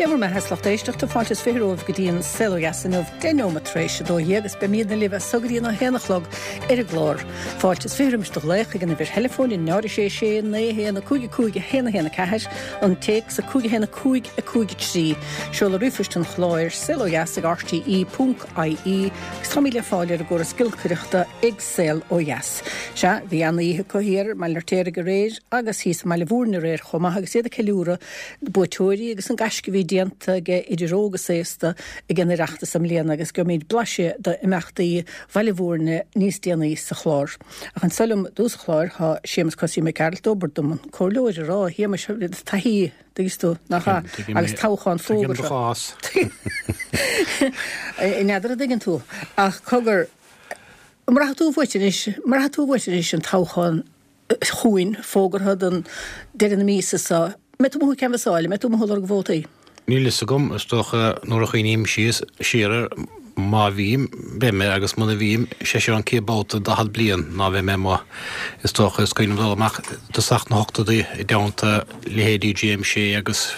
Dé bhur mbeatha, a lucht éisteachta, fáilte is 20 romhaibh go dtí an Saol Ó Dheas inniu, 10 nóiméad tar éis 12 agus beimidne libh as so go dtí an 1 a chlog ar an gclár. Fáilte is 20 roimis do ghlaoch ag an uimhir theileafóin 0 6 6 9 1 5 5 1 1 4, an téacs 5 1 5 5 3, seoladh ríomhphoist an chláir, saolodheas ag rte ponc ie agus táimid le fáil ar an gcóras giolcaireachta ag Saol Ó Dheas. Sea, bhí an-oíche acu thiar i mBaile an Fheirtéaraigh aréir agus thíos i mBaile Mhúirne aréir chomh maith agus iad ag ceiliúradh na buaiteoirí agus an gaisce a bhí déanta aige idir óg is aosta ag an Oireachtas i mbliana agus gheobhaimid blaiseadh d'imeachtaí Bhaile Mhúirne níos déanaí sa chlár. Ach anso liom i dtús an chláir tá Séamus Cosaí Mac Gearailt abair dom an comhairleoir a rá, a Shéamais, taithí, dtuigeann tú, nach ea? Agus toghchán fógartha. Tuigim do chás. N'fheadar an dtuigeann tú, ach cogar, an mbraithfidh tú uait anois, an mbraithfidh tú uait anois an toghchán chugainn fógartha don deireadh na míosa seo. An mbeidh tú amuigh ag canbhasáil, an mbeidh tú amuigh ag lorg vótaí? Níl fhios agam, is dócha nuair a chuimhním síos siar air, má bhím, beidh mé agus muna bhím, sé seo an chéad babhta i 40 bliain ná bheidh mé amuigh. Is dócha, is cuimhin liom dul amach i dtosach na hochtóidí i dteannta leithéidí James Shea agus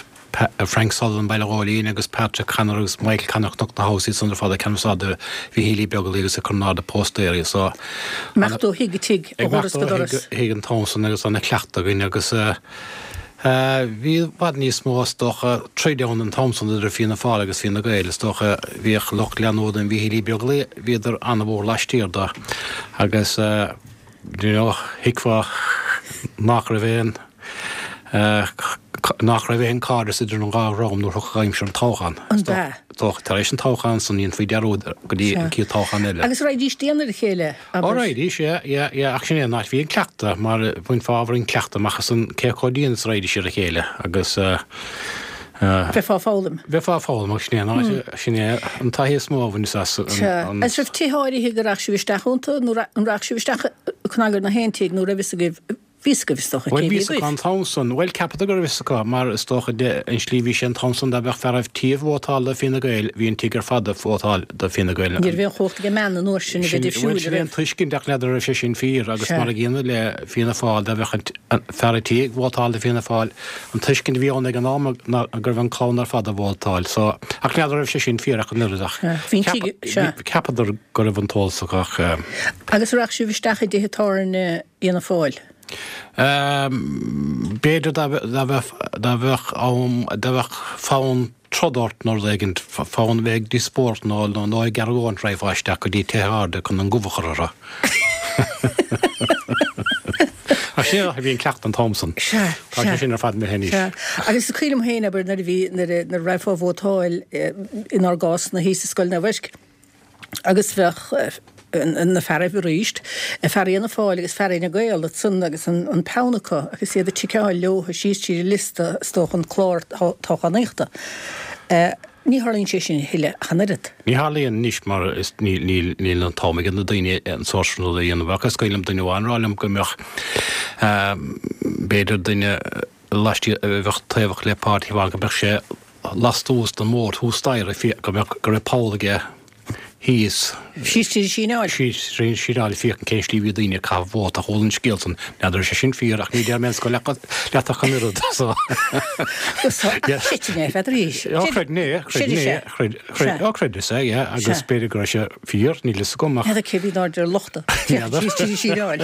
Frank Sullivan, Baile Ghóilín, agus Patrick Connor agus Michael Connor, Cnoc na hAbha, iad san ar fad ag canbhasáil do Mhíchíl Uí Beaglaoich agus ag cur in airde póstaeirí so. Imeacht ó thigh go tigh, ó dhoras go doras. Ag imeacht ó thigh go thigh an t-am san agus ana chleachtadh againn agus bhí i bhfad níos mó is dócha troid ann an t-am san idir Fianna Fáil agus Fine Gael is dócha bhíodh lucht leanúna an Mhíchíl Uí Beaglaoich bhíodar ana-mhór laistiar de agus you know thuigfeá nach raibh aon nach raibh aon cairdeas idir an dhá dhream nuair a thiocfadh aimsir an toghcháin. An b'ea? Dócha, tar éis an toghcháin san dhéanfaí dearúd go dtí an chéad toghchán eile. Agus raghaidís dian ar a chéile, abair? Ó raghaidís, yeah, yeah, yeah, ach sin é an áit a bhí an cleachtadh, mar bhainfeá ábhairín cleachtaidh amach as an cé chomh dian is a raghaidís ar a chéile agus eh. Bheifeá ag foghlaim. Bheifeá ag foghlaim agus sin é an áit, sin é an taithí is mó a bhaineas as an. Agus raibh tithe áirithe go rachadh sibh isteach iontu, nó an rachadh sibh isteach cnag ar na haon tigh nó raibh fhios agaibh Bhí fhios agaibh, is dócha, cé bhí agaibh. Bhuel, bhí fhios acu an t-am san. Bhuel, ceapadar go raibh fhios acu, mar is dócha, de an slí bhí sé an t-am san, dá mbeadh fear a' tí ag vótáil do Fine Gael, bhí an tigh ar fad ag vótáil do Fine Gael. Ní raibh aon chumhacht ag an mbean an uair sin a bheith difriúil, Bhuel, sin é an tuiscint, ach n'fheadar an raibh sé sin fíor, agus mar a gcéanna le Fianna Fáil, dá mbeadh an fear a' tí ag vótáil do Fianna Fáil, an tuiscint a bhí ann ag an am ná go raibh an clann ar fad ag vótáil, so, ach n'fheadar an raibh sé sin fíor ach an oiread, ach cheapadar go raibh an t-eolas acu ach. Agus rachadh sibh isteach i dtithe tábhairne Fhianna Fáil? B'fhéidir dá mbeadh, dá mbeadh am, dá mbeadh fonn troda ort nó rud éigin, fonn a bheith ag díospóireacht nó nó ag argóint raghfá isteach go dtí tithe áirithe chun an gomh a chur orthu. Ach sin é a bhí an cleachtadh an t-am san. Sea, Tá sé sin ar fad imithe anois. Sea. Agus is cuimhin liom féin, abair, nuair a bhí, nuair a, nuair a raghfá a vótáil inár gcás-na thíos i Scoil Naomh Eirc, Agus bheadh na fearaibh arís, fear Fhianna Fáil agus fear Fhine Gael ansan agus an peann acu agus iad ag ticeáil leo síos tríd an liosta, is dócha, an clár toghchánaíochta. Ní tharlaíonn sé sin a thuilleadh ach an oiread. Ní tharlaíonn anois mar is níl níl an t-am ag na daoine an sórt sin rud a dhéanamh ach is cuimhin liom duine amháin a rá liom go mbeadh b'fhéidir duine laistigh a bheadh taobhach le páirtí amháin go mbeadh sé lastuas den mbóthar thuas staighre go mbeadh go raibh poll aige thíos. Síos tríd an síneáil. Síos tríd an síneáil ag féachaint cén slí a bhí daoine ag caitheamh vóta. Chuala an scéal san. N'fheadar an raibh sé sin fíor ach ní deir mé aon scoth leat ach an oiread so. Chreidfinn é, n'fheadar arís. Ó chreidfinn é, chreidfinn é, chreid, ó chreideas é, yeah, agus b'fhéidir go raibh sé fíor, níl fhios agam ach. N'fheadar cé bhí in airde ar luchta. N'fheadar. Síos tríd an síneáil.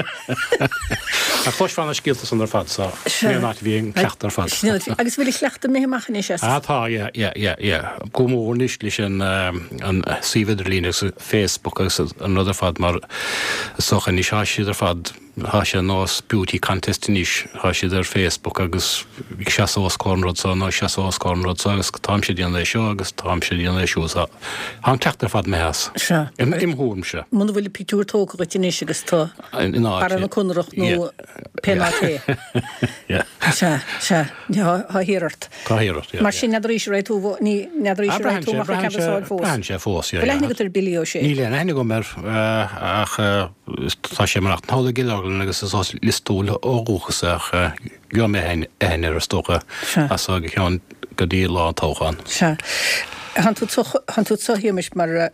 Ach chloisfeá na scéalta san ar fad so sin é an áit a bhí an cleachtadh ar fad. Agus bhfuil an cleachtadh imithe amach anois as? Ah tá, yeah, yeah, yeah, yeah. Go mór anois leis an an suíomh idirlín agus Facebook agus an rud ar fad mar is dócha anois tá siad ar fad, tá sé ar nós beauty contest anois, tá siad ar Facebook agus ag seasamh os comhair an rud so nó ag seasamh os comhair an rud so agus táimse ag déanamh é seo agus táimse ag déanamh é siúd so tá an cleachtadh ar fad imithe as. Sea. Im thuairimse. Muna bhfuil an pictiúr tógtha dhuit anois agus tú. Barra na Conrach nó pé áit é. Sea, sea, tá thiar ort. Tá thiar ort, yeah. Mar sin, n'fheadar arís an raibh tú, ní, n'fheadar arís an raibh tú amach ag canbhasáil fós. Braitheann sé fós, yeah. Bhfuil aithne agat ar Billy O'Shea? Níl aon aithne agam air, ach tá sé ag maireachtáil thall i gCill Orglan agus is as Lios Tuathail ó dhúchas é, ach gheobhaidh mé aithne air is dócha as so go ceann go dtí lá an toghcháin. Sea. Tánn tú, tánn tú, a Shéamais, mar ar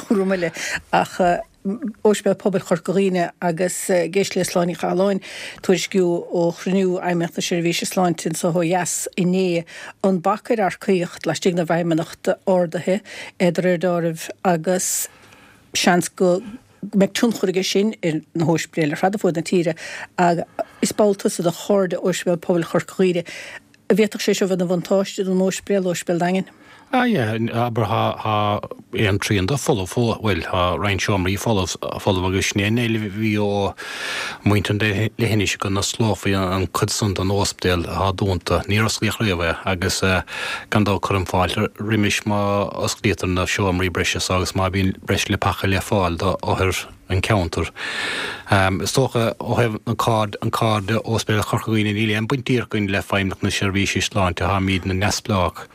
chúram eile, ach. Ospidéal Pobail Chorca Dhuibhne agus ag éisteacht le Sláine Ní Chathalláin, tuairisciú ó chruinniú Fheidhmeannacht na Seirbhíse Sláinte anso ó dheas inné, an bac ar earcaíocht laistigh den bhFeidhmeannacht ardaithe de réir dealraimh agus seans go mbeidh tionchar aige sin ar na hóispidéil ar fad ar fud na tíre. Is ball tusa de Chairde Ospidéal Pobail Chorca Dhuibhne. An bhféadfadh sé seo bheith ina bhuntáiste don óispidéal, Ospidéal Daingean? Ah yeah, abair tá, tá aon trian de folamh, bhuel tá roinnt seomraí folamh, folamh agus sin é an éileamh a bhí ó mhuintir an leithinis go n-osclófaí an cuid san den óispidéal atá dúnta. Níor osclaíodh riamh é agus gan dabht cuirim fáilte roimis má osclaítear na seomraí breise so agus má bhíonn breis leapacha le fáil do othair an ceantar. Is dócha, ó thaobh na Cairde, an Cairde Ospidéal Chorca Dhuibhne, níl aon baint díreach againn le Feidhmeannacht na Seirbhíse Sláinte, táimidne neamhspleách.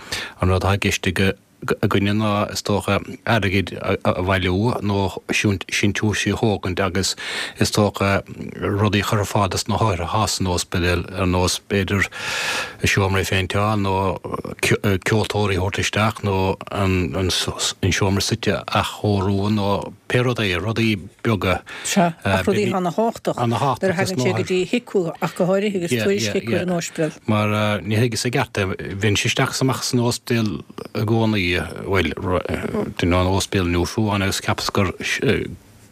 An rud atá i gceist againne ná, is dócha, airgead a bhailiú nó síntiúisí a thógaint agus is dócha rudaí a chur ar fáil dos na hothair atá san ospidéal, ar nós b'fhéidir seomraí a phéinteáil nó ceoltóirí a thabhairt isteach nó an seomra suite a athchóiriú nó pé rud é, rudaí beaga. Sea, ach rudaí ana-thábhachtach nuair a thagann sé go dtí HIQA ach go háirithe agus tuairisc HIQA ar an ospidéal. Mar ní thuigeas i gceart é, bheinnse isteach is amach as an ospidéal i gcónaí, bhuel, you know an ospidéal nua fiú amháin agus cheapas gur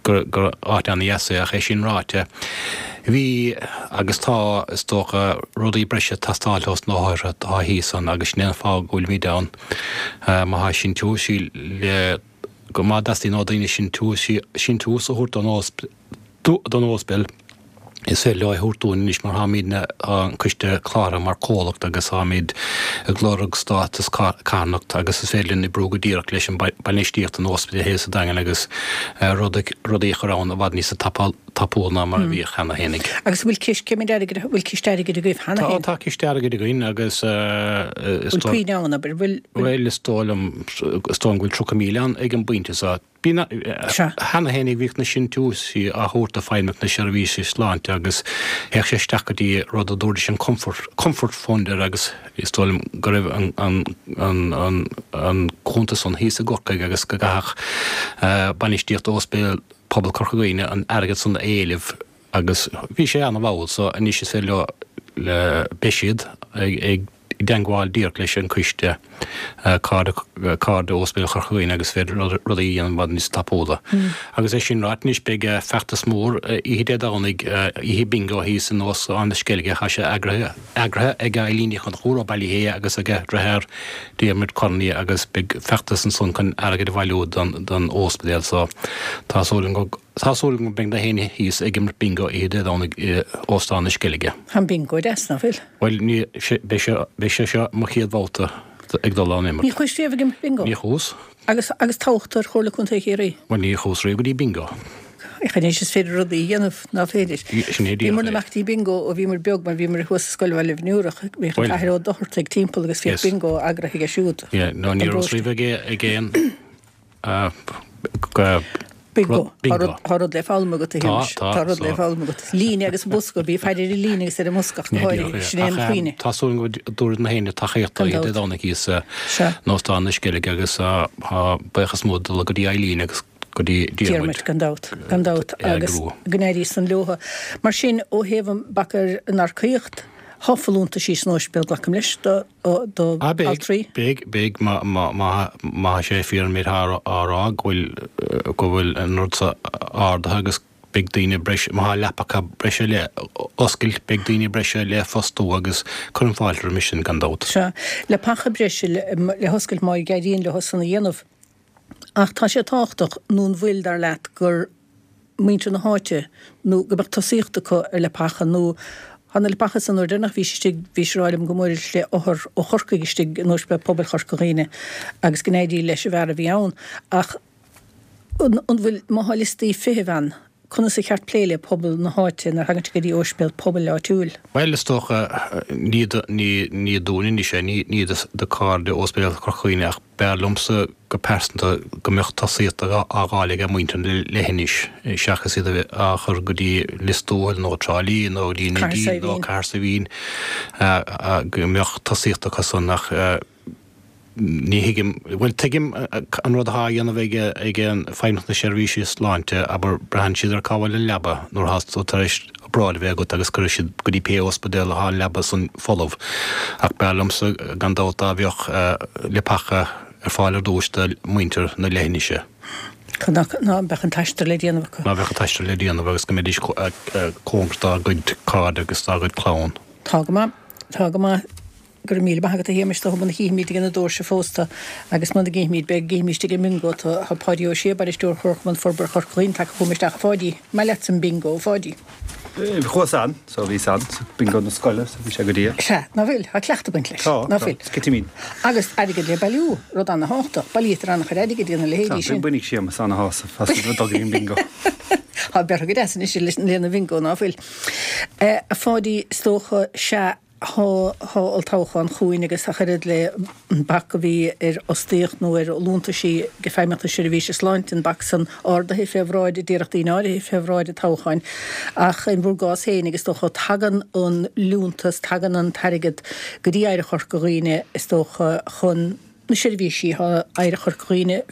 gur áit ana-dheas é ach é sin ráite, bhí agus tá, is dócha, rudaí breise ag teastáil ós na hothair atá thíos ann agus sin é an fáth go bhfuilimid ann. Má tá síntiúisí le. go má dteastaíonn ó daoine síntiús a thabhairt don ospidéal, is féidir leo é a thabhairt dúinn anois mar táimidne, tá an coiste cláraithe mar comhlacht agus táimid ag lorg stádas carthanacht agus is féidir linn oibriú go díreach leis an bainistíocht an ospidéil thíos sa Daingean agus rudaí a chur ann i bhfad níos tapúla ná mar a bhíodh cheana fhéinig. Agus an bhfuil ciste, cé mhéad airgid, an bhfuil ciste airgid agaibh cheana féin? Tá, tá ciste airgid againn agus is dóigh. Bhfuil puinn ann, abair, bhfuil? Bhuel, is dóigh liom, is dóigh liom go bhfuil 30,000 ann ag an bpointe seo. Bíonn, cheana fhéinig bhíodh na síntiúisí á thabhairt do Feidhmeannacht na Seirbhíse Sláinte agus théadh sé isteach go dtí rud a dtabharfaidís an comfort, comfort fund air agus is dóigh liom go raibh an, an, an, an, an cuntas san thíos i gCorcaigh agus go gcaithfeadh bainistíocht Ospidéal Pobal Corca Dhuibhne an airgead san a éileamh agus bhí sé ana-mhall so anois is féidir leo le beidh siad ag i dteangmháil díreach leis an coiste Cairde Cairde Ospidéal Chorca Dhuibhne agus féidir rudaí a dhéanamh i bhfad níos tapúla. Agus é sin ráite anois beidh feachtas mór oíche Dé Domhnaigh, oíche bingo thíos in Óstán na Sceilge, tá sé eagraithe eagraithe ag Eileen Ní Chonchúir ó Baile Átha agus ag a deartháir Diarmuid Conley agus beidh feachtas ansan chun airgead a bhailiú don don óspidéal so tá súil agam go tá súil agam go mbeidh na héinne thíos ag imirt bingo oíche Dé Domhnaigh i Óstán na Sceilge. Tá an bingo deas, nach bhfuil? Bhuel ní beidh sé beidh sé seo mo chéad bhabhta ag dul á imirt. Níor chuais riamh ag imirt bingo? Níor chuas. Agus agus toghadh tú ar Chomhairle Contae Chiarraí? Bhuel níor chuas riamh go dtí bingo. Ach anois is féidir rudaí a dhéanamh nach féidir. Sin é díreach é. Bhíomar ag imeacht dtí bingo ó bhíomar beag mar bhíomar thuas i Scoil Bhaile Bhniúrach. Bhíodh an tAthair Ó Dochartaigh timpeall agus bhíodh bingo eagraithe aige siúd. Yeah, no ní rabhas riamh ag aon Bingo. Bingo. Tá rud le foghlaim agat, a Shéamais. Tá, tá. Tá rud le foghlaim agat. Líne agus an bosca, bí ag faire ar an líne agus ar an mbosca ach go háirithe. Sin é an chuimhne. Tá súil agam go dtabharfaidh na héinne tacaíocht do Dé Domhnaigh thíos in Óstán na Sceilge agus tá buíochas mór ag dul go dtí Eileen agus go dtí Diarmuid. Diarmuid, gan dabht, gan dabht, agus go n-éirí san leotha. Mar sin, ó thaobh an bac ar an earcaíocht, tá folúntaisí san óispidéal, glacaim leis, do do Ah, beidh, altraí. beidh, beidh, má, má, má, má tá sé fíor an méid atá á rá go bhfuil, go bhfuil an rud so ardaithe agus beidh daoine breise, má tá leapacha breise le oscailt, beidh daoine breise le fostú agus cuirim fáilte roimis sin, gan dabht. Sea, leapacha breise le, le hoscailt má éiríonn leo san a dhéanamh. Ach tá sé tábhachtach, nó an bhfuil, dar leat, gur muintir na háite, nó go mbeadh tosaíocht acu ar leapacha, nó tá na leapacha san, uair deireanach bhís istigh, bhís ag rá liom go mbuaireadh le othar ó Chorcaigh istigh in Ospidéal Pobail Chorca Dhuibhne agus go n-éirí leis an bhfear a bhí ann. Ach an bhfuil, má thá liostaí feithimh ann, conas ar cheart plé le pobal na háite nuair a thagann sé go dtí óispidéal pobail áitiúil? Bhuel, is dócha, ní ní dúinne anois é, ní do Cairde Ospidéal Chorca Dhuibhne ach b'fhearr liomsa go pearsanta go mbeadh tosaíocht á fháil ag muintir an leithinis seachas iad a bheith á chur go dtí Lios Tuathail nó Trá Lí nó go dtí na Neidín nó Cathair Saidhbhín, go mbeadh tosaíocht acu san ach. Ní thuigim, bhuel tuigim an rud atá á dhéanamh ag ag an Feidhmeannacht na Seirbhíse Sláinte, abair, braitheann siad ar cá bhfuil an leaba nuair atá tú tar éis obráid a bheith agat agus cuirfidh siad go dtí pé ospidéal atá an leaba san folamh. Ach b'fhearr liomsa gan dabht dá bheadh leapacha ar fáil ar dtúis do mhuintir na leithinise. Ná beadh an t-aistear le déanamh acu. Ná beadh an t-aistear le déanamh agus go mbeidís cóngarach dá gcuid cairde agus dá gcuid clann. Tá go maith. Tá go maith. Go raibh míle maith agat a Shéamais, tá muna chífimid ag na doirse fós tú agus muna gcífimid beidh go gcífimid ag an mbingo tú. Tá Páidí Ó Sé, Bainisteoir Chomharchumann Forbartha Chorca Dhuibhne tagtha chugam isteach a Pháidí. Maith leatsa an bingo, a Pháidí. Chuas ann, so bhíos ann, bingo na scoile, so bhí sé go diail. Sea, ná fuil? Tá cleachtadh ag baint leis. Tá, ná fuil? Tá, sceitimín. Agus airgead le bailiú, rud ana-thábhachtach. Bailítear an-chuid airgid ag na leithéidí sin. Tá, bainfidh Séamus ana-shásamh as a bheith dul go dtí an bingo. Tá beartha go deas anois lena bhingo, ná fuil? A Pháidí, is dócha, sea, Tá olltoghchán chugainn agus ach oiread le an bac a bhí ar fhostaíocht nó ar fholúntaisí ag Feidhmeannacht na Seirbhíse Sláinte, an bac san ardaithe fé bhráid d'iarrachtaí áirithe fé bhráid an toghcháin. Ach in bhur gcás féinig is dócha tagann an liúntas, tagann an t-airgead go dtí Oidhreacht Chorca Dhuibhne is dócha chun na seirbhísí atá Oidhreacht Chorca Dhuibhne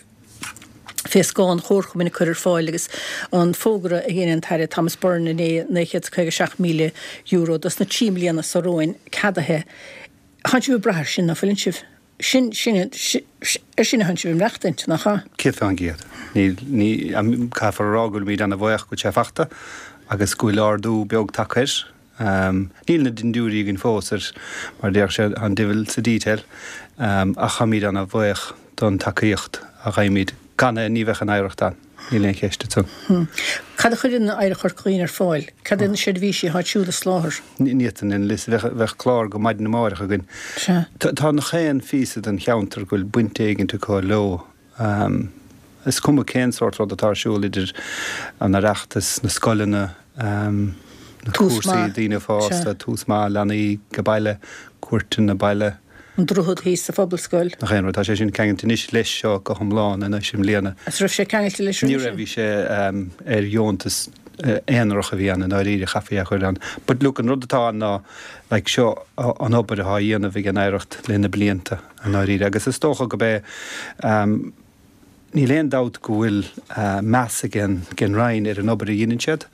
fé scáth an Chomharchumainn a chur ar fáil agus an fógra a dhein an tAire Thomas Byrne inné, €957,000 dos na 3 mbliana so romhainn ceadaithe. Tánn sibh ag brath ar sin, ná fuileann sibh? Sin, sin, ar sin a thánn sibh ag maireachtaint, nach ea? 100%. Níl, ní, caithfear a rá go bhfuilimid ana-bhaoch go bhfuil sé fachta agus go bhfuil ardú beag tagtha air. Níl na dindiúirí againn fós ar, mar a déarfadh sé, an diabhal sa detail, ach táimid ana-bhaoch don tacaíocht a fhaighimid. Gan é, ní bheadh an Oidhreacht ann, níl aon cheist ansan. Cad a chuireann Oidhreacht Chorca Dhuibhne ar fáil? Cad iad na seirbhísí atá siúd ag soláthar? Ní fhéadfainn an liosta, bheadh clár go maidin amáireach againn. Sea. Tá nach aon phíosa den cheantar go bhfuil baint éigint acu leo. Is cuma cén sórt rud atá ar siúl idir an Oireachtas, na scoileanna, na cúrsaí daoine fásta, Tús Maith, leanaí ag baile, cuairteanna baile. An Droichead thíos sa Phobalscoil. Nach aon rud. Tá sé sin ceangailte anois leis seo go hiomlán anois i mbliana. Is raibh sé ceangailte leis roimhe sin? Ní raibh, bhí sé ar dheontas aonarach a bhí ann i ndáiríre, chaithfí é a chur ann. But look, an rud atá ann ná, like, seo an obair atá á dhéanamh ag an Oidhreacht le na blianta. I ndáiríre. Agus is dócha go b'é, níl aon dabht go bhfuil meas ag an Roinn ar an obair a dheineann siad.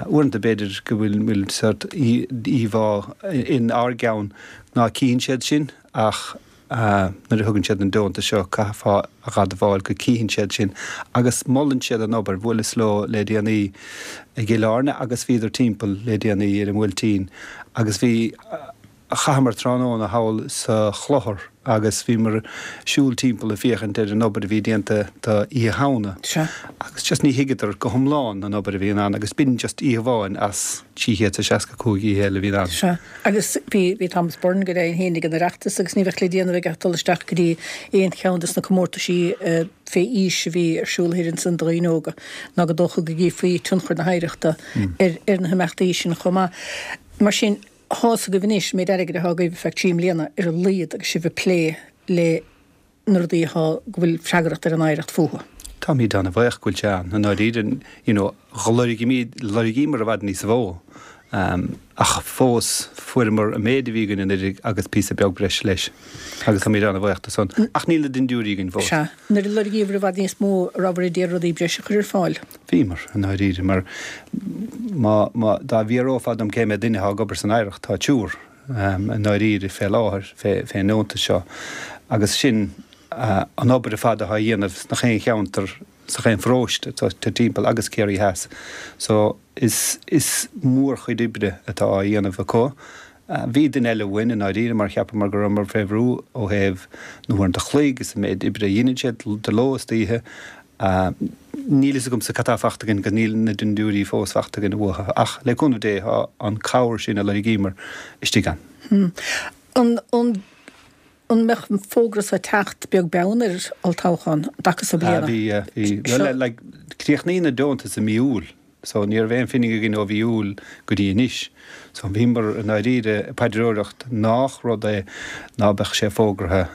Uaireanta b'fhéidir go bhfuil sórt íomhá in ár gceann ná cífeann siad sin ach nuair a thugann siad an deontas seo caithfeá a dh'admháil go cífeann siad sin agus molann siad an obair. Bhuaileas leo le déanaí i gCill Airne agus bhíodar timpeall le déanaí ar an mBuailtín agus bhí Chaitheamar tráthnóna thall sa Chlochar agus bhíomar ag siúl timpeall ag féachaint ar an obair a bhí déanta do Oíche Shamhna. Sea. Agus just ní thuigeadar go hiomlán an obair a bhí ann agus b'in just oíche amháin as 365 oíche eile a bhí ann. Sea. Agus bhí, bhí Thomas Byrne go deimhin féin ag an Oireachtas agus ní bheadh le déanamh aige ach dul isteach go dtí aon cheann des na comórtaisí fé aois a bhí ar siúl thoir ansan do dhaoine óga ná gur dócha go gcífí tionchar na hOidhreachta ar, ar na himeachtaí sin chomh maith. Mar sin, Tá's agaibh anois an méid airgid atá agaibh ar feadh 3 mbliana ar a laghad agus sibh ag plé le na rudaí atá, go bhfuil freagracht ar an Oidhreacht fúthu. Táimid ana-bhaoch go bhfuil sé ann, i ndáiríre, you know, lorgaímid, lorgaíomar i bhfad níos mó, ach fós fuaireamar an méid a bhí againn anuraidh agus píosa beag breise leis agus táimid ana-bhaoch de san. Ach níl na dindiúirí againn fós. Sea. Nuair a lorgaíobhair i bhfad níos mó, rabhabhair a d'iarraidh rudaí breise a chur ar fáil? Bhíomar, i ndáiríre, mar má, má, dá bhfiafrófá dom cé mhéad duine atá ag obair san Oidhreacht, tá triúr, i ndáiríre, fé láthair, fé, fén ndeontas seo. Agus sin an obair ar fad atá á dhéanamh sna chaon cheantar, sa chaon pharóiste atá timpeall agus Ciarraí Theas. So, is, is mórchuid oibre atá á dhéanamh acu. Bhí duine eile uainn, i ndáiríre, mar cheapamar go rabhamar fé bhrú ó thaobh na huaireanta chloig is an méid oibre a dheineann siad de ló is d'oíche. Níl fhios agamsa cad tá fachta againn agus níl na dindiúirí fós fachta againn uathu. Ach le cúnamh Dé tá an cabhair sin a loirgíomar istigh ann. An an mbeadh an fógra so ag teacht beag beann ar olltoghchán an dtaca so bliana? Bhí, bhí. Bhuel, like, críochnaíonn an deontas i mí Iúil. So ní raibh aon phingin againn ó mhí Iúil go dtí anois. So bhíomar i ndáiríre ag paidreoireacht nách rud é ná beadh sé fógartha.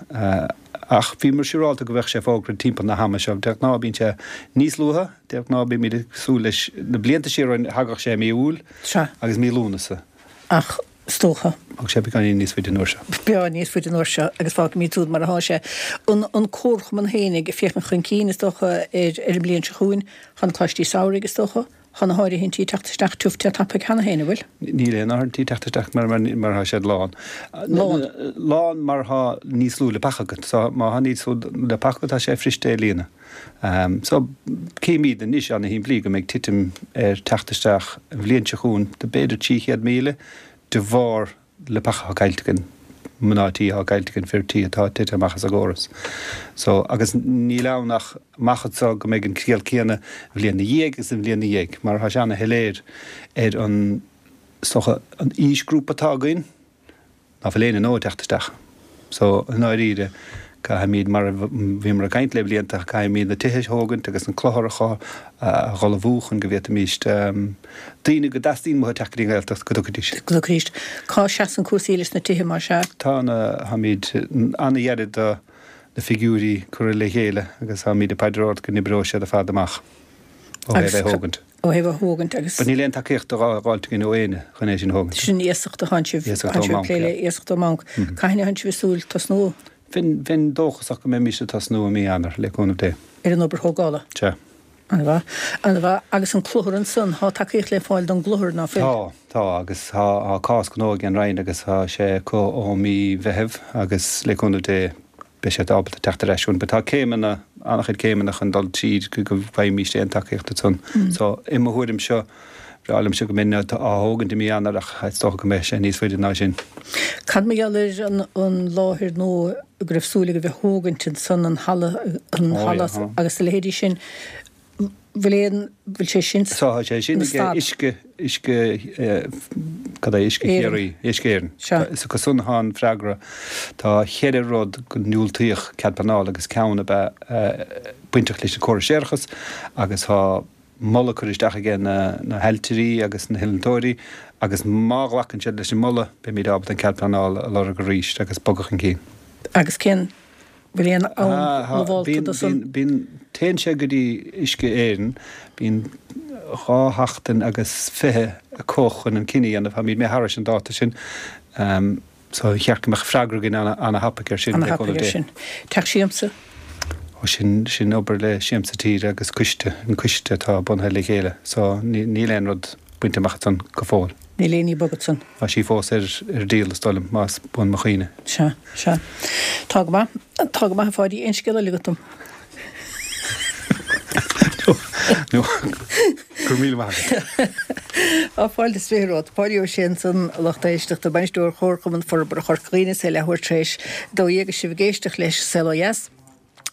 Ach bhíomar siúrálta go bheadh sé fógartha timpeall na hama seo. De ghnáth bíonn sé níos luaithe, de ghnáth bímid ag súil leis na blianta siar romhainn thagadh sé i mí Iúil Sea. agus mí Lúnasa. Ach. Is dócha. Thóg sé beagáinín níos faide an uair seo. Beagán níos faide an uair seo agus fágfaimid úd mar atá sé. An an Comharchumann féinig ag féachaint chun cinn, is dócha, ar ar an mbliain seo chugainn, tá na coláistí samhraidh, is dócha, tá na háirithintí ag teacht isteach tiubh te tapaidh cheana féin, an bhfuil? Níl aon áirithintí ag teacht isteach mar mar thá siad lán. Lán. Lán mar thá níos lú leapacha agat. So má thá níos lú leapacha agat tá sé fuiriste é a líonadh. So címid anois ana-shimplí go mbeidh titim ar teacht isteach an bhliain seo chugainn de b'fhéidir 300,000 de bharr leapacha atá caillte againn, mná tí atá caillte againn, fir tí atá tite amach as an gcóras. So agus níl ann ach amach anseo go mbeidh an scéal céanna an bhliain 'na dhiaidh agus an bhliain 'na dhiaidh mar tá sé ana-shoiléir ar an, is dócha, an aoisghrúpa atá againn. Ná fuil éinne nua ag teacht isteach. So, i ndáiríre, caithfimid, mar a bhíomar ag caint le blianta, caithfimid na tithe a thógaint agus an clochar a dh'ullmhú chun go bhféadfaimís daoine go dteastaíonn uathu teacht go dtí an Ghaeltacht, go dtiocfaidís. Go dtiocfaidís. Cá seasann cúrsaí leis na tithe, más ea? Tá na, táimid an-ghairid do na figiúirí curtha le chéile agus táimid ag paidreoireacht go n-oibreoidh siad ar fad amach ó thaobh é a thógaint. ó thaobh a thógaint agus. But níl aon tacaíocht á dh'fháilt againn ó éinne chun é sin a thógaint. Sin iasacht a thánn sibh, Iasacht ón thánn sibh ag mbanc, plé le yeah. iasacht ón mbanc. Cathain a thánn sibh ag súil tosnú? Bheinn, bheinn dóchasach go mbeimis ag tosnú i mí Eanáir, le cúnamh Dé. Ar an obair thógála? Sea. An-mhaith, an-mhaith. Agus an cluthar ansan, thá tacaíocht le fáil don gcluthar, ná fuil? Tá, tá, agus thá, thá cás gnó ag an Roinn agus thá sé acu ó mí Mheithimh agus le cúnamh Dé, beidh siad ábalta teacht ar ais chugainn. But tá céimeanna, an-chuid céimeanna chun dul tríd go go bhfaighimíst aon tacaíocht ansan. So, i mo thuairim seo, bhreá liomsa go mbeinn á thógaint i mí Eanáir ach is dócha go mbeidh sé níos faide ná sin. Cad mar gheall ar an an láthair nua go raibh súil agaibh a thógaint ansan, an halla, an halla agus a leithéidí sin, Bhfuil aon, bhfuil sé sin Tá sé sin ina ag stad? Uisce, Uisce, cad é, Uisce Éireann. Chiarraí, Uisce Éireann. Sea. Is acu san atá an freagra. Tá cheithre rud go ndiúltaíodh cead pleanála agus ceann ab ea bainteach leis an córas séarachais agus tá moladh curtha isteach aige na na hailtirí agus na hoilteoirí agus má ghlacann siad leis an moladh beimid ábalta an cead pleanála a lorg arís agus bogadh chun cinn. Agus cén Bhfuil aon am lamhálta do san? Bíonn, téann sé go dtí Uisce Éireann, bíonn 2 sheachtain agus 20 acu chun an cinneadh a dhéanamh, táimid imithe thairis an dáta sin, so ba cheart go mbeadh freagra againn ana-thapaidh air sin, le Ana-thapaidh cúnamh air Dé. sin. Teach Siamsa? Ó sin, sin obair le Siamsa Tíre agus coiste, an coiste atá bunaithe le chéile, so níl aon rud bainte amach ansan go fóill. Níl aon ní bog ansan. Tá sí fós ar ar díol, is dóigh liom, más buan mo chuimhne. Sea, sea. Tá go maith. Tá go maith, a Pháidí. Aon scéal eile agat dom? No. Go raibh míle maith agat. Tá fáilte is 20 romhat. Páidí Ó Sé ansan, a lucht éisteachta, Bainisteoir Chomharchumann Forbartha Chorca Dhuibhne, is é leathuair tar éis a 12 agus sibh ag éisteacht leis Saol Ó Dheas.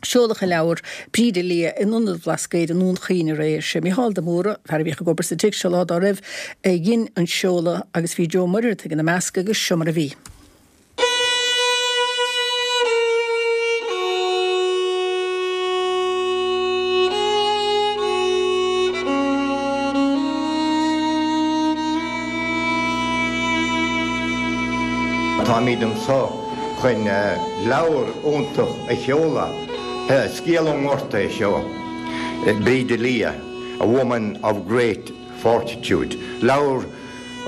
Seoladh a leabhar, Bríde Liath, in Ionad Bhlascaoid i nDún Chaoin aréir. Sé Mícheál de Mórdha, fear a bhíodh ag obair sa tigh seo lá dá raibh, a dhein an seoladh agus bhí Joe Muircheartaigh ina measc agus seo mar a bhí. Táimid anseo chun leabhar iontach a sheoladh. Scéal ón nGorta é seo, Bríde Liath, A Woman of Great Fortitude. Leabhar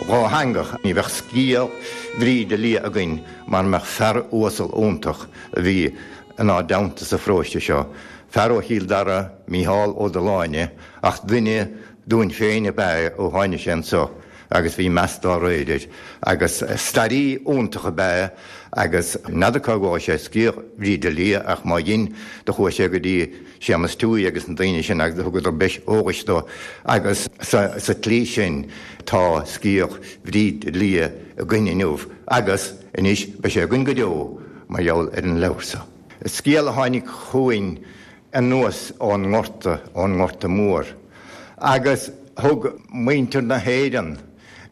dhátheangach. Ní bheadh scéal Bhríde Liath againn mara mbeadh fear uasal iontach a bhí inár dteannta sa pharóiste seo, fear ó Chill Dara, Mícheál Ó Dubhshláine, ach duine dúinn féin ab ea é ó tháinig sé anso. agus bhí meas dá réir air, agus staraí iontach ab ea é, agus n'fheadar cá bhfuair sé scéal Bhríde Liath, ach má dhein, do chuaigh sé go dtí Séamus Tuohy agus na daoine sin agus do thugadar breis eolais dó, agus sa tslí sin tá scéal Bhríde Liath againn inniu, agus anois beidh sé againn go deo mar gheall ar an leabhar so. Scéal a tháinig chugainn anuas ón nGorta, ón nGorta Mór. Agus thug muintir na hÉireann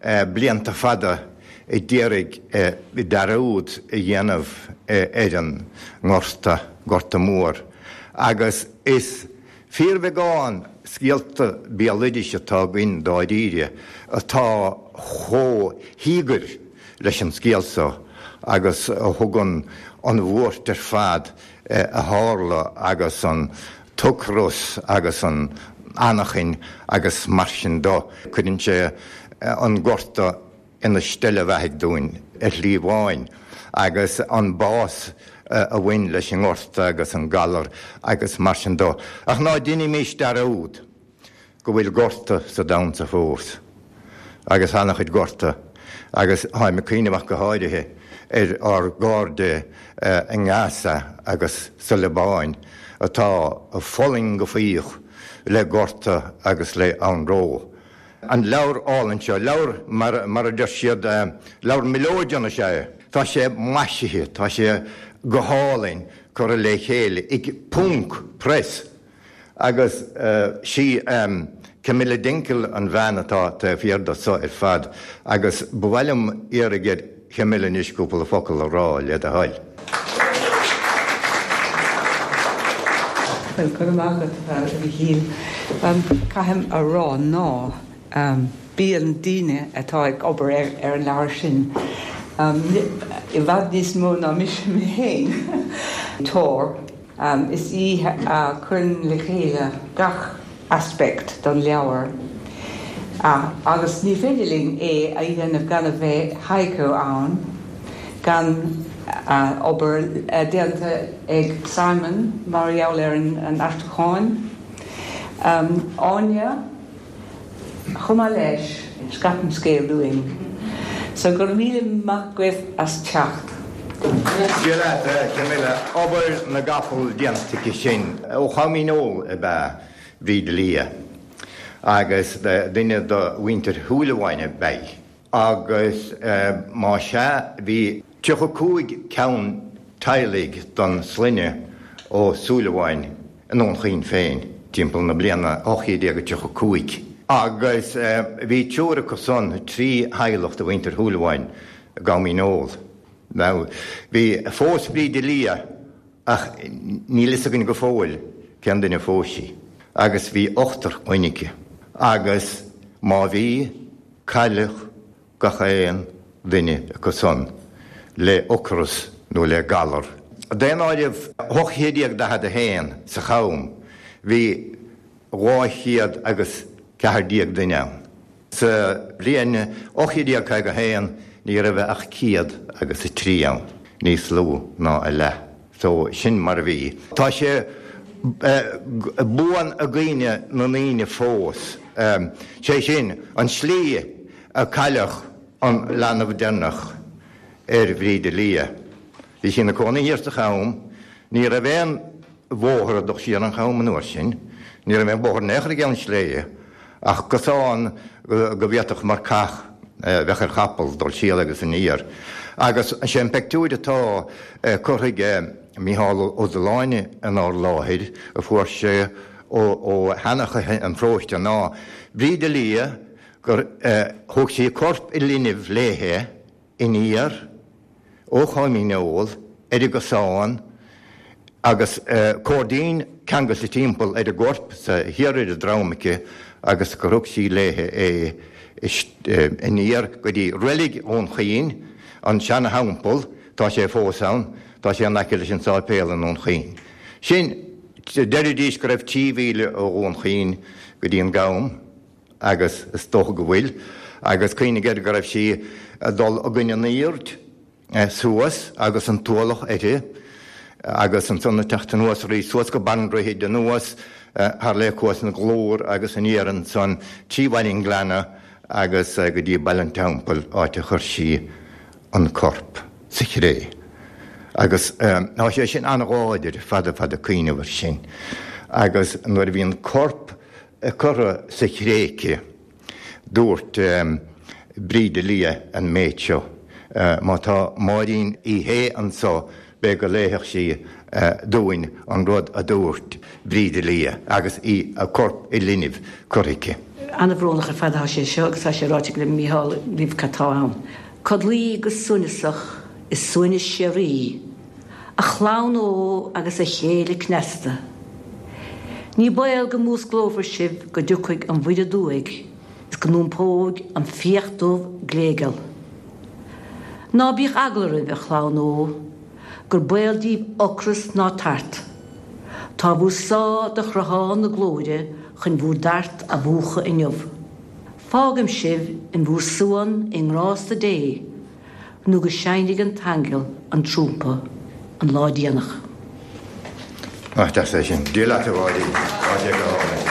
blianta fada ag iarraidh dearúd a dhéanamh ar an nGorta, Gorta Mór. Agus is fíorbheagán scéalta béaloidis atá againn dáiríre atá chomh híogair leis an scéal seo agus a thugann an bhuairt ar fad a tharla agus an t-ocras agus an anachain agus mar sin do. Cuireann sé an Gorta. ina steillebheathaidh dúinn ar shlí amháin agus an bás a bhain leis an ngorta agus an galar agus mar sin dó. Ach ná deinimís dearúd go bhfuil gorta sa domhan so fós, agus ana-chuid gorta, agus táim ag cuimhneamh ach go háirithe ar ár gcairde i nGaza agus sa Liobáin atá ag fulaingt go fiach le gorta agus le anró. An leabhar álainn seo, leabhar mar a deir siad, leabhar mileoidean is ea é. Tá sé maisithe, tá sé go hálainn curtha le chéile ag Ponc Press agus sí Camilla Dinkel an bhean atá taobh thiar de so ar fad agus ba mhaith liom iarraidh ar Chamilla anois cúpla focal a rá, le do thoil. Bhuel, go raibh maith agat, a Mhichíl. Caithim a rá ná bíonn daoine atá ag obair ar an leabhar sin i bhfad níos mó ná mise mé féin. Tor, Is í a chuireann le chéile gach aspect don leabhar agus ní féidir linn é a dhéanamh gan a bheith Heiko ann, gan obair déanta ag Simon mar gheall ar an aistriúcháin, Áine chomh maith leis, scaipeann scéal dúinn. So go raibh míle maith agaibh as teacht. Dia leat, a Camilla. Obair na gcapall déanta aici sin. Ó Cham Mhín Eoil ab ea Bríd Liath agus duine de mhuintir Shúilleabháin ab ea í. Agus má sea, bhí 35 ceann teaghlaigh den sloinne Ó Súilleabháin i nDún Chaoin féin timpeall na bliana 1835. Agus bhí triúr acu san, trí theaghlach de mhuintir Shúilleabháin i gCam Mhín Eoil. Now, bhí, phós Bríde Liath ach níl fhios againn go fóill cén duine a phós sí. Agus bhí ochtar clainne aici. Agus má bhí, Cailleadh gach aon duine acu san le ocras nó le galar. Daonáireamh 1841 sa Cham bhí 200 agus 14 duine ann. Sa bhliain 1851 ní raibh ach céad agus a trí ann, níos lú ná a leath. So, sin mar a bhí. Tá sé buan i gcuimhne na ndaoine fós. Sé sin, an slí a cailleadh an leanbh deireanach ar Bhríde Liath. Bhí sí ina cónaí thiar sa Cham. Ní raibh aon bhóthar ag dul siar an Cham an uair sin. Ní raibh aon bhóthar in aon chor i gCeann Sléibhe ach cosán go bhféadfadh marcach a bheadh ar chapall dul siar agus aniar. Agus sé an peictiúir atá curtha ag Mícheál Ó Dubhshláine inár láthair, a fuair sé ó sheanchaithe an pharóiste, ná Bríde Liath gur thóg sí corp a linbh léithe aniar ó Cham Mhín Eoil ar an gcosán agus cóirdín ceangailte timpeall ar an gcorp thiar ar a drom aici agus gur thug sí léithe é aniar go dtí reilig Dhún Chaoin, an seana-theampall, tá sé fós ann, tá sé in aice leis an sáipéal i nDún Chaoin. Sin, deiridís go raibh 3 mhíle ó Dhún Chaoin go dtí an gCam. agus is dócha go bhfuil, agus cuimhnigh air go raibh sí ag dul i gcoinne an aoird suas agus an t-ualach uirthi agus ansan ag teacht anuas arís suas go Barr an Droichid anuas thar le Cuas na gClúr agus aniar ansan trí Bhaile an Ghleanna agus go dtí Baile an Teampaill áit a chuir sí an corp sa chré. Agus tá sé sin an-láidir fada fada cuimhneamh air sin agus nuair a bhí an corp curtha sa chré aici. Dúirt Bríde Liath an méid seo, Má tá Máirín Uí Shé anso b'fhéidir go léifeadh sí dúinn an rud a dúirt Bríde Liath agus í a corp a linbh curtha aici. An-bhrónach ar fad atá sé seo agus tá sé ráite ag Mícheál libh cad tá ann. Codlaídh go suaimhneasach i suaimhneas síoraí. A chlann ó agus a chéile cneasta. Ní baol go músclófar sibh go dtiocfaidh an Mhuir aduaidh is go n-iompóidh an fiach dubh gléigeal. Ná bíodh eagla oraibh, a chlann ó, gur baol díbh ocras ná tart. Tá bhur sáith de chrothán na glóire chun bhur dtart a mhúchadh inniu. Fágaim sibh in bhur suan i ngrásta Dé nó go seinnfidh an t-aingeal an trumpa an lá déanach. Nach deas é sin. Dia leat a Mháirín. Tá sé go hálainn.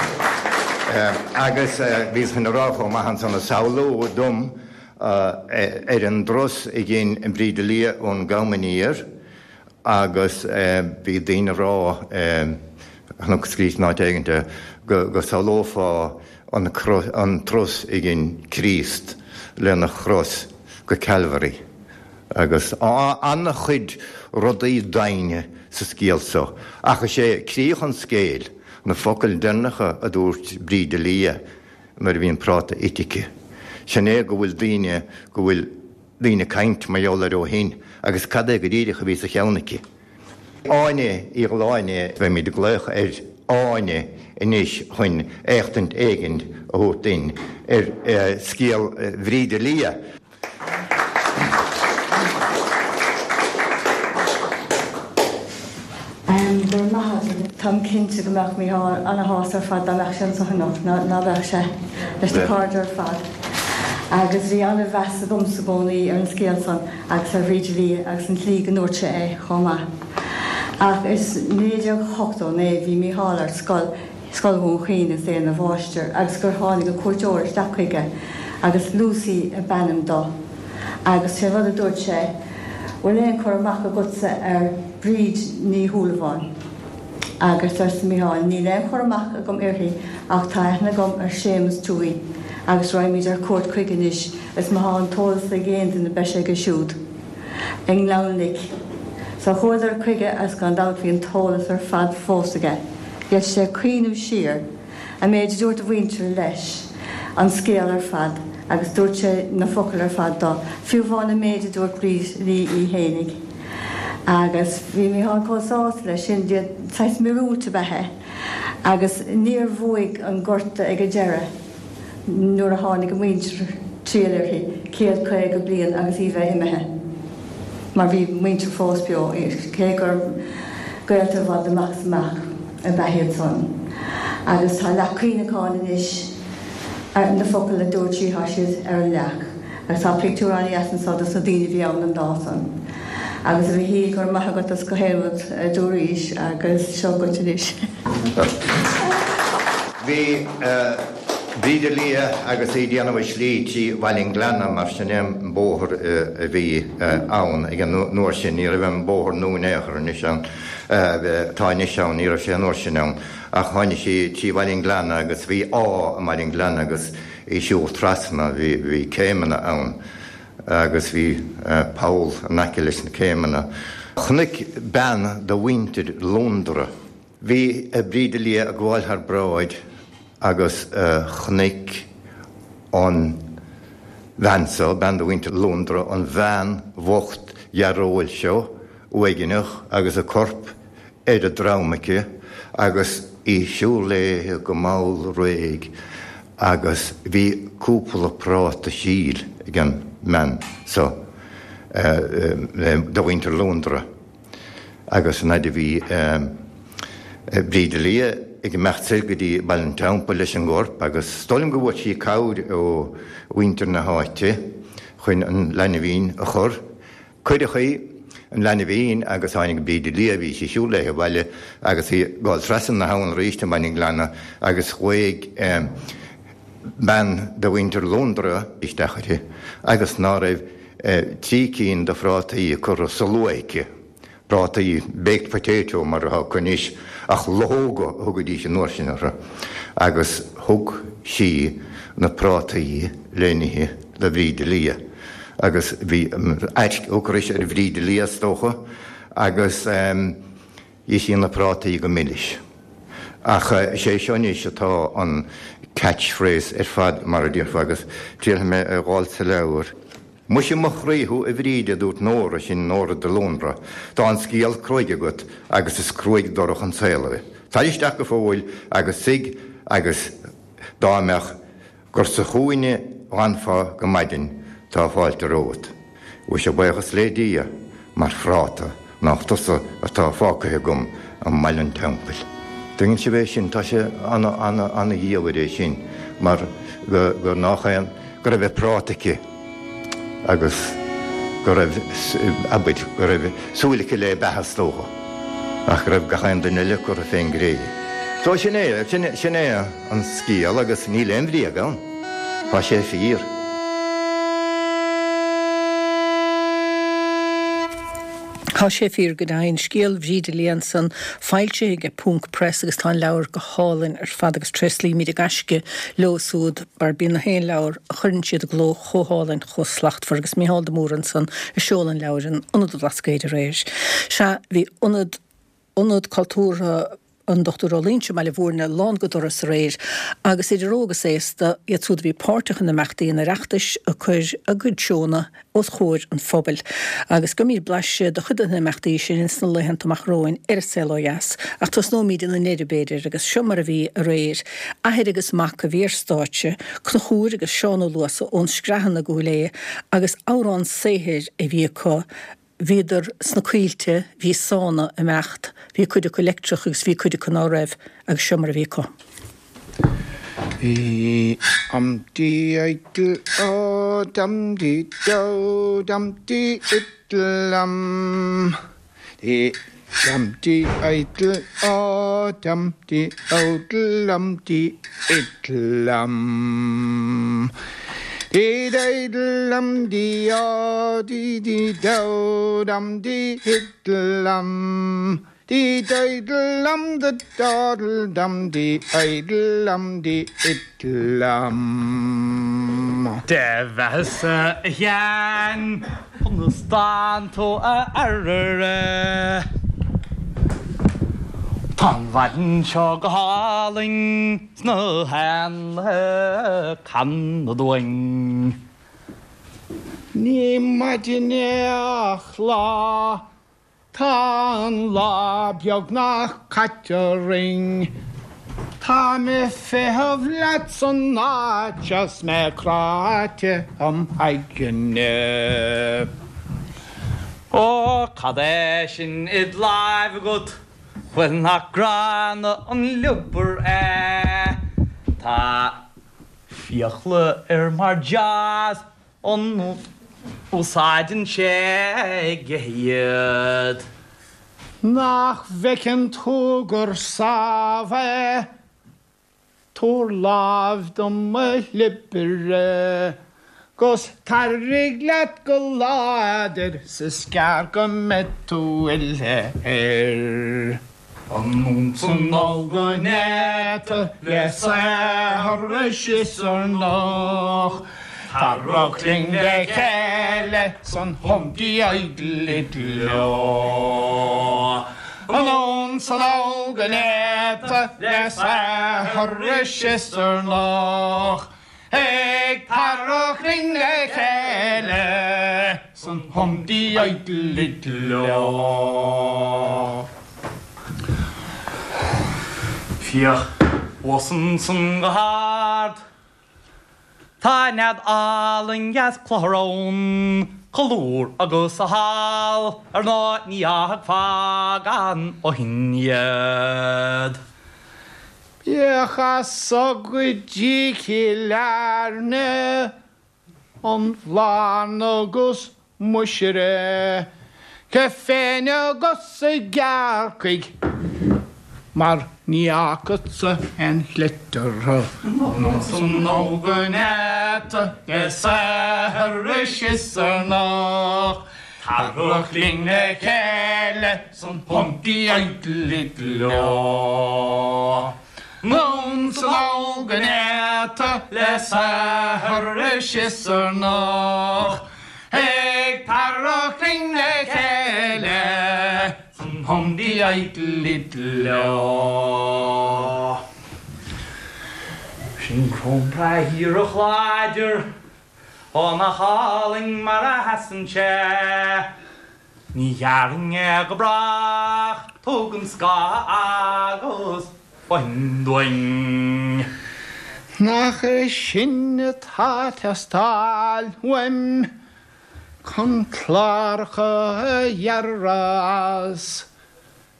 Agus bhíos chun a rá chomh maith ansan a samhlú dom ar an dturas a dhein Bríde Liath ón gCam Aniar agus bhí daoine a rá, chonac scríte in áit éigint é, go samhlófá an turas a dhein Críost lena chros go Calvary. Agus an-chuid rudaí doimhne sa scéal so. Ach is é críoch an scéil, na focail deireanacha a dúirt Bríde Liath nuair a bhí an práta ite aici, sin é go bhfuil daoine, go bhfuil daoine ag caint mar gheall air ó shin agus cad é go díreach a bhí sa cheann aici. Áine Uí Ghláine, Beimid ag glaoch ar Áine anois chun éachtaint éigin a thabhairt duinn ar scéal Bhríde Liath. Go raibh maith agat. Táim cinnte go mbeadh Mícheál ana-shásta ar fad dá mbeadh sé anseo anocht, ná beadh sé? Leis na cairde ar fad. Agus bhí ana-mheas agamsa i gcónaí ar an scéal san agus ar Bhríde Liath agus an tslí go ndúirt sé é chomh maith. Ach is 1989 bhí Mícheál ar scoil, Scoil Dhún Chaoin is é ina mháistir agus gur tháinig an cuairteoir isteach chuige agus Lucy ab ainm do agus sé rud a dúirt sé bhfuil aon chur amach agatsa ar Bríd Ní Shúilleabháin agus arsa Mícheál níl aon chur amach agam uirthi ach tá aithne agam ar Séamus Tuohy agus raghaimid ar cuairt chuige anois is má thá an t-eolas ag aon duine beidh sé aige siúd i nGleann Lic. So chuadar chuige agus gan dabht bhí an t-eolas ar fad fós aige. Gheit sé ag cuimhneamh siar, an méid a dúirt a mhuintir leis, an scéal ar fad, agus dúirt sé na focail ar fad do, fiú amháin an méid a dúirt Bríd Liath í fhéinig. Agus bhí Mícheál chomh sásta leis sin, saghas míorúilt ab ea é, agus níor bhuaigh an Gorta ag an deireadh nuair a tháinig a muintir triall uirthi, 150 bliain agus í bheith imithe. mar bhí a muintir fós beo, cé gur gaolta i bhfad amach is amach ab ea iad san. Agus tá leac cuimhneacháin anois ar na focail a dúirt sí, tá siad ar an leac. Agus tá pictiúr an-dheas anso dos na daoine a bhí ann an lá san. Agus a Mhichíl, go raibh maith agat as gach aon rud a dúraís agus seo dhuit anois. Bhí Bríde Liath agus í ag déanamh a slí trí Bhaile an Ghleanna mar sin é an bóthar a bhí ann ag an uair sin. Ní raibh an bóthar nua in aon chor anois ann, atá anois ann, ní raibh sé an uair sin ann. Ach tháinig sí trí Bhaile an Ghleanna agus bhí áth i mBaile an Ghleanna agus í ag siúl trasna, bhí, bhí céimeanna ann agus bhí poll in aice leis na céimeanna. Chonaic bean de mhuintir Lúndra. Bhí Bríde Liath ag gabháil thar bráid agus chonaic an bhean seo, bean de mhuintir Lúndra, an bhean bhocht dhearóil seo uaigneach agus a corp ar a drom aici agus í ag siúl léi go mall réidh agus bhí cúpla práta síl ag an mbean seo de mhuintir Lúndra. Agus an fhaid a bhí Bríde Liath ag imeacht soir go dtí Baile an Teampaill leis an gcorp agus is dóigh liom go bhfuair sí cabhair ó mhuintir na háite chun an leanbhín a chur. Cuireadh í, an leanbhín, agus tháinig Bríde Liath, bhí sí ag siúl léi abhaile agus í ag gabháil trasna na habhann arís i mBaile an Ghleanna agus ghlaoigh bean de mhuintir Lúndra isteach uirthi agus ná raibh 3 cinn de phrátaí curtha sa luaith aici, prátaí baked potato mar atá acu anois, ach luchóga a thugaidís an uair sin orthu, agus thug sí na prátaí le n-ithe do Bhríde Liath, agus bhí aisc ocrais ar Bhríde Liath is dócha, agus ith sí na prátaí go milis. Ach is é seo anois atá an catch phrase ar fad, mar a déarfá, agus triailfidh mé é a dh'fháil sa leabhar. Muise mo chroí thú a Bhríd, a dúirt Nóra, sin Nóra de Lúndra, tá an scéal cruaidh agat agus is cruaidh dorcha an saol é. Tar isteach go fóill agus suigh agus dá mbeadh gur sa chúinne dh'fhanfá go maidin, tá fáilte romhat. Mhuise buíochas le Dia mar phráta nách tusa atá fágtha agam i mBaile an Teampaill. Tuigeann sibh é sin, tá sé ana, ana, ana-dhiamhair é sin mar. gur nách aon, go raibh a práta aici agus go raibh, abair, go raibh súil aici le beatha is dócha, ach go raibh gach aon duine eile curtha fén gcré. So sin é, sin é an scéal agus níl aon bhréag ann. Tá sé fíor. Tá sé fíor go deimhin. Scéal Bhríde Liath ansan, foilsithe ag Ponc Press agus tá an leabhar go hálainn ar fad agus tréaslaímid a ngaisce leo súd mar bíonn na haon leabhar a chuireann siad i gcló chomh hálainn, chomh slachtmhar agus Mícheál de Mórdha ansan ag seoladh an leabhair in Ionad an Bhlascaoid aréir. Sea, bhí Ionad. Ionad Cultúrtha an Dr. Ó Loingsigh i mBaile Bhúirne lán go doras aréir agus idir óg is aosta, iad súd a bhí páirteach in imeachtaí an Oireachtais ag cur a gcuid seónna os chomhair an phobail. Agus gheobhaimid blaiseadh de chuid de na himeachtaí sin ins na laethanta amach romhainn ar An Saol Ó Dheas. Ach tosnóimid ina ndeireadh b'fhéidir agus seo mar a bhí aréir, athair agus mac a bhí ar stáitse, Conchúr agus Seán Ó Luasa ón Screathan i gCúil Aodha agus amhrán saothair a bhí acu, Bhíodar sna coillte, bhí sánna ag imeacht, bhí cuid acu leictreach agus bhí cuid acu ná raibh, agus seo mar a bhí acu. Um dee idle oh dum dee do dum dee idle um dee dum dee idle oh dum dee odle um dee idle um dee idle um dee oh dee dee do dum dee idle um dee idle um the doddle dum dee idle um dee idle um. Do bheatha-sa a Sheáin, conas tánn tú a fhear? Tá an mhaidin seo go hálainn 's na héanlaithe ag canadh dúinn. Ní maidin é ach lá Tá an lá beagnach caite orainn. Tá mé feitheamh leat san áit seo 's mé cráite im aigne. Ó, cad é sin id láimh agat? Bhuel, nach gránna an liobar é? Tá fiacla air mar jaws. An úsáideann sé ag ithe iad? Nach bhfeiceann tú gur sábh é? Tabhair láimh dom a shlibire 'gus tarraig leat go láidir 's is gearr go mbeidh tú oilthe air. Anonn 's anall go néata le saothar a siosarnach, Tarrac linn le chéile san hum-dee-idle-idle-oh. Anonn 's anall go néata le saothar a siosarnach, Ag tarrac linn le chéile san hum-dee-idle-idle-oh. Féach thuas ansan go hard. Tá nead álainn dheas cluthar ann, colúr agus thall, ar ndóigh ní fhágfá gan ó shin iad. Féach as so go dtí Cill Airne, an Bhlarna 'gus Muisire, cé féin agus a gearrcaigh, mar ní fhaca-sa aon chleite orthu. Anonn 's anall go néata le saothar a siosarnach, Tarrac linn le chéile san hum-dee-idle-idle-oh. Anonn 's anall go néata le saothar a siosarnach, Ag tarrac linn le chéile san hum-dee-idle-idle-oh. Sin crompra thiar a chlaidir. Ó nach álainn mar a sheasann sé, ní ghearrfainn é go brách, tóg an scáth agus fothain dúinn. Nach é sin atá ag teastáil uaim chun cláracha a ghearradh as.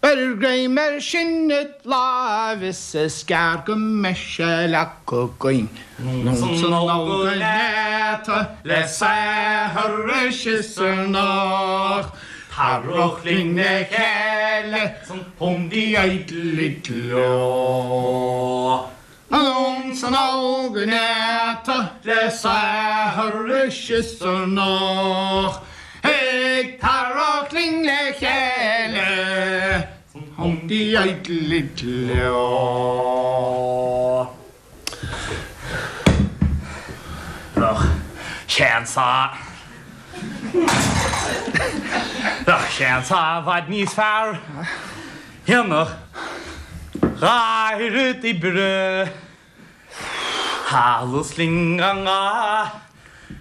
Beir greim air sin id láimh is is gearr go mbeidh sé leagtha againn. Anonn 's anall go néata le saothar is siosarnach, Tarrac linn le chéile san hum di idle leo. Anonn 's anall go néata le saothar is siosarnach, Ag tarrac linn le chéile san hum di idle leo. Bheadh sé anso. Bheadh sé anso i bhfad níos fearr. Dhéanfadh a oiread oibre. Allas linn gan ghá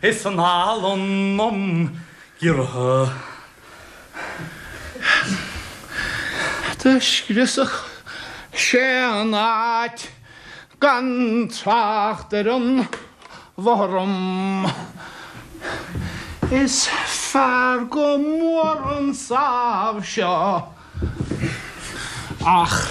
is an olann um giorraithe. Do scriosfadh sé an áit gan trácht ar an bhfothram. Is fearr go mór an sámh seo. Ach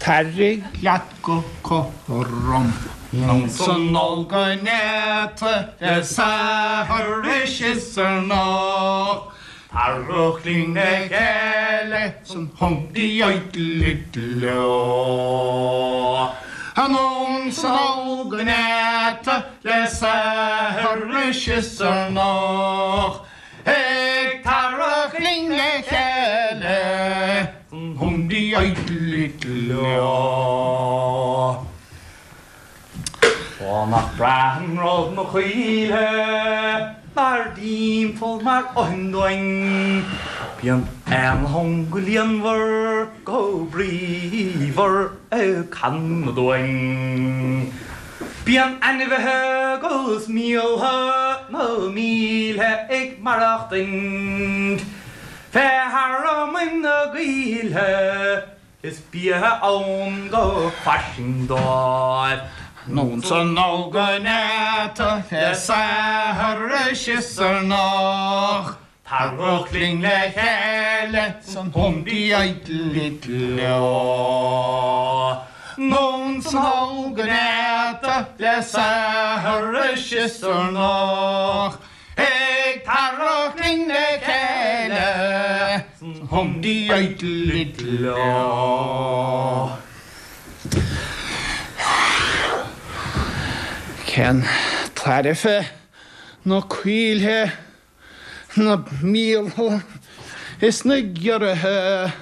tairrig leat go cothrom. Anonn 's anall go néata le saothar is siosarnach, Tarrac linn le chéile san hum-di-idle-leo. Anonn 's anall go néata le saothar is siosarnach, Ag tarrac linn le chéile san hum di idle leo. Ó nach breá an rud na coillthe 'nár dtimpeall mar fhothain dúinn. Bíonn éanlaith ann go líonmhar, go bríomhar ag canadh dúinn. Bíonn ainmhithe 'gus míoltha na mílte ag maireachtaint fé thearmainn na gcoillthe is bia ann go fairsing dóibh. Anonn 's anall go néata le saothar is siosarnach. Tarrac linn le chéile san hum di idle leo. Anonn 's anall go néata le saothar is siosarnach, Ag tarrac linn le chéile san hum di idle leo. Cén tairbhe na coillthe na míoltha is na giorraithe.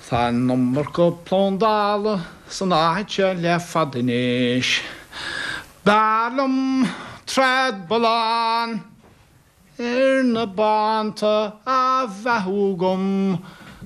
Tá an iomarca plandála san áit seo le fada anois. B'fhearr liom tráth bullán ar na bánta á bheathú agam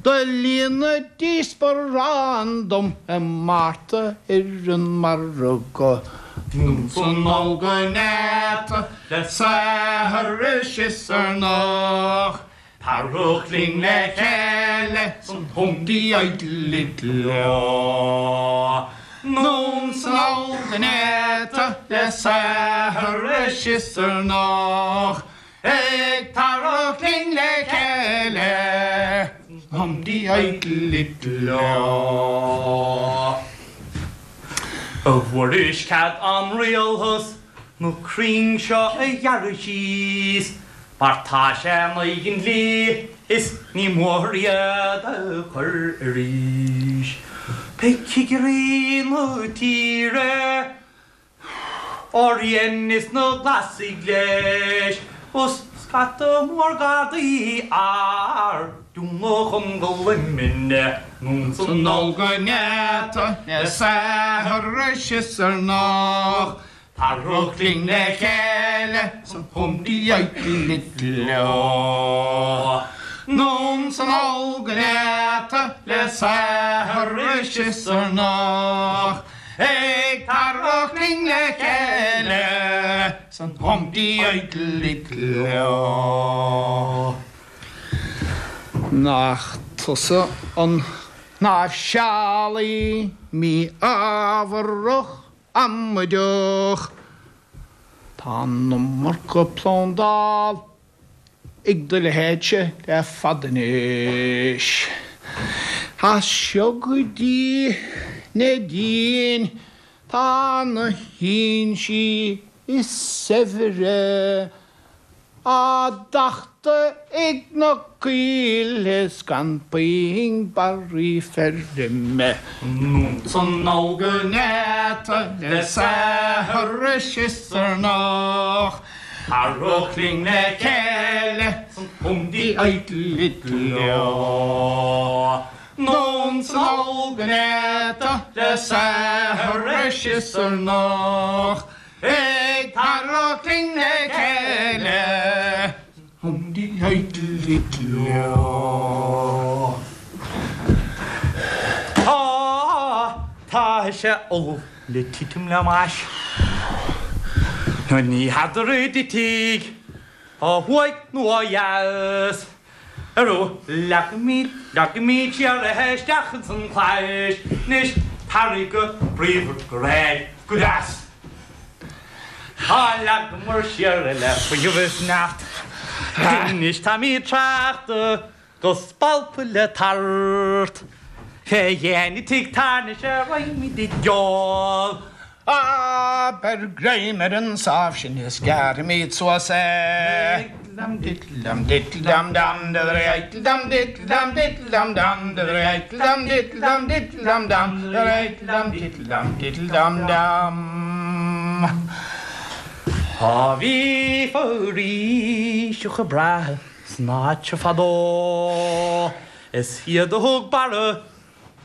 do líonfaidís sparán dom i Márta ar an margadh. Anonn 's anall go néata le saothar is siosarnach, Tarrac linn le chéile san hum di idle leo. Anonn 's anall go néata le saothar is siosarnach, Ag tarrac linn le chéile san hum di idle leo. A bhfuairis cead ón rialtas na crainn seo a ghearradh síos mar tá sé in aghaidh an dlí is ní mór iad a chur arís. Beidh cigirí na tíre R.E.N. is na Glasaigh leis, 'gus scata mór Gardaí ár dtiúnadh chun gluimine. Anonn 's anall go néata le saothar is siosarnach, Tarrac linn le chéile san hum di idle leo. Anonn 's anall go néata le saothar is siosarnach, Ag tarrac linn le chéile san hum di idle leo. Nach tusa an cnáimhseálaí mí-ámharach amaideach. Tá an iomarca plandála ag do leithéidse le fada anois. As seo go dtí Neidín tá na hinsí is saibhre á dtachtadh ag na coill is gan puinn barraí feirme. Anonn 's anall go néata le saothar a siosarnach, Tarrac linn le chéile san humdi idle leo. Anonn 's anall go néata le saothar a siosarnach, Ag tarrac linn le chéile, hum di idle leo. Tá, tá sé ullamh le titim le mais. Ní fheadar an dtitfidh ó thuaidh nó ó dheas. Arú, leagfaimid, leagfaimid siar é isteach ins an chlais anois, tarraig go bríomhar, go réidh, go deas. Tá leagamar siar é le fuinneamh is neart, anois táimid traochta go spalptha le tart. Fé dhéin an tigh tairne sé raghaimid i gceol. Á, beir greim ar an sábh sin is gearrfaimid suas é. Dam diddle dam diddle dam dam diddle dam diddle dam diddle dam dam diddle dam diddle dam diddle dam dam dam diddle dam diddle dam dam. Á bhí foraoiseacha breátha san áit seo fadó is iad a thug barra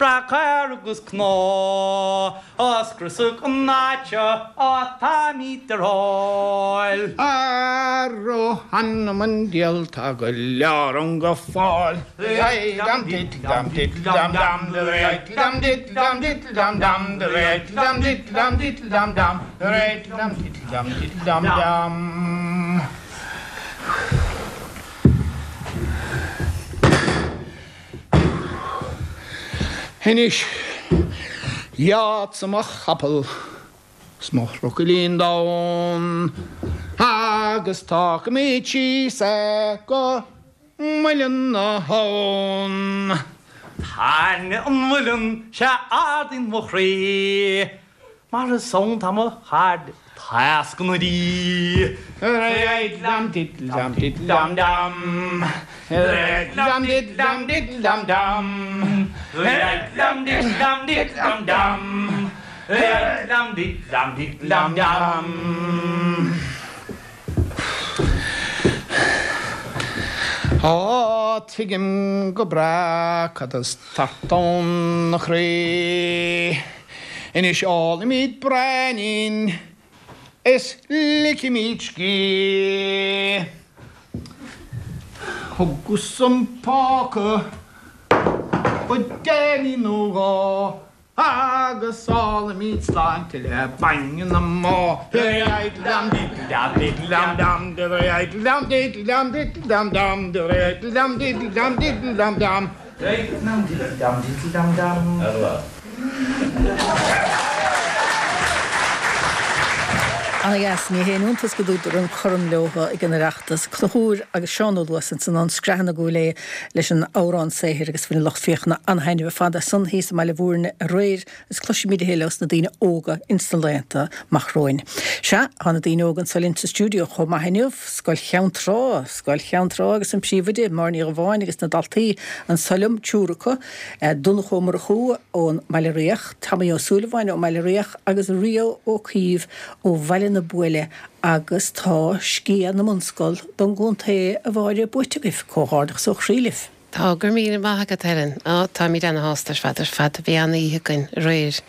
breá caor agus cnó, á scriosadh an áit seo á táimid ar fáil. Arú th'anam 'on diabhal tá go leor ann go fóill. Dam diddle dam diddle dam dam dam diddle dam diddle dam dam dam diddle dam diddle dam dam dam diddle dam diddle dam dam. Anois, gheobhadsa mo chapall 's mo thrucailín donn agus tógfaimid síos é go Muileann na hAbhann. Tairne an mhuilinn 'sea ardaíonn mo chroí. Mar is ann tá mo chairde taosc an Rí. Dam diddle dam diddle dam dam Dam diddle dam diddle dam dam Dam diddle dam diddle dam dam Dam diddle dam diddle dam dam. Á, tuigim go breá cad is tart ann, a chroí. Anois ólfaimid braoinín is ligfimid scíth. Thugas an póca ba déanaí nó dhó agus ólfaimid sláinte le bainne na mbó. Dam diddle dam diddle dam dam dam diddle dam diddle dam dam dam diddle dam diddle dam dam. Dam diddle dam diddle dam dam. Ana dheas, ní haon iontas go dtugtar an corn leo ag an Oireachtas. Conchúr agus Seán Ó Luasa ansan ón Screathan i gCúil Aodha leis an amhrán saothair agus bhain an lucht féachana an-taitneamh ar fad as san thíos i mBaile Mhúirne aréir agus cloisfimid a thuilleadh os na daoine óga ins na laethanta amach romhainn. Sea, tá na daoine óga anso linn sa stiúideo chomh maith inniu, Scoil Cheann Trá, Scoil Cheann Trá agus an príomhoide, Máire Ní Dhubháin agus na daltaí anso liom, triúr acu, Donncha Ó Murchú ón mBaile Riach, Tomaí Ó Súilleabháin ón mBaile Riach agus Rio Ó Caoimh ó Bhaile na Buaile agus tá Sciath na mBunscol don gcontae, a Mháire, buaite agaibh. Comhghairdeachas ó chroí libh. Tá, go raibh míle maith agat Helen. Á, táimid ana-shásta ar fad ar fad. Bhí ana-oíche againn aréir